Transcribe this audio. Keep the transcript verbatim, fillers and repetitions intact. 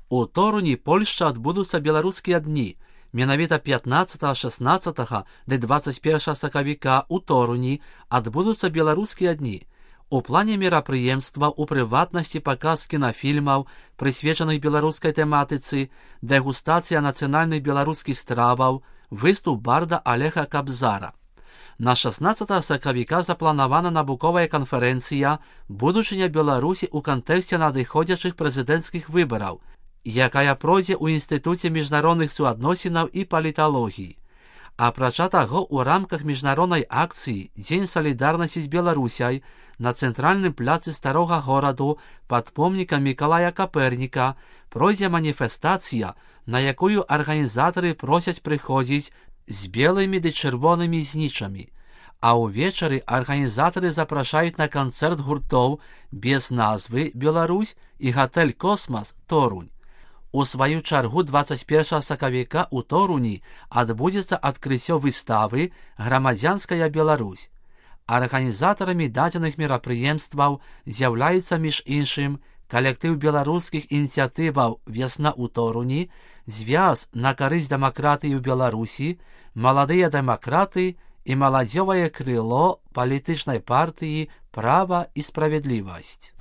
У Торуні, Польшча, адбудуцца беларускія дні. Менавіта пятнаццатага, шаснаццатага ды дваццаць першага сакавіка у Торуні адбудуцца беларускія дні. У плане мерапрыемства, у прыватнасці паказ кінафільмаў, прысвечаных беларускай тэматыцы, дэгустацыя нацыянальных беларускіх страваў, выступ барда Алега Кабзара. На шаснаццатага сакавіка запланавана навуковая канферэнцыя «Будучыня Беларусі ў кантэксце надыходзячых прэзідэнцкіх выбараў», якая пройдзе ў Інстытуце міжнародных суадносінаў і паліталогіі. Апрача таго, у рамках міжнароднай акцыі «Дзень салідарнасці з Беларусяй» на цэнтральным пляцы старога гораду пад помнікам Мікалая Каперніка пройдзе маніфестацыя, на якую арганізатары просяць прыходзіць з белымі ды чырвонымі знічамі. А ўвечары арганізатары запрашаюць на канцэрт гуртоў без назвы «Беларусь» і гатэль «Космас» Торунь. У сваю чаргу дваццаць першага сакавіка ў Торуні адбудзецца адкрыццё выставы «Грамадзянская Беларусь». Арганізатарамі дадзеных мерапрыемстваў з'яўляюцца, між іншым, калектыў беларускіх ініцыятываў «Вясна ў Торуні», звяз на карысць дэмакратыі ў Беларусі, маладыя дэмакраты і маладзёвае крыло палітычнай партыі «Права і справядлівасць».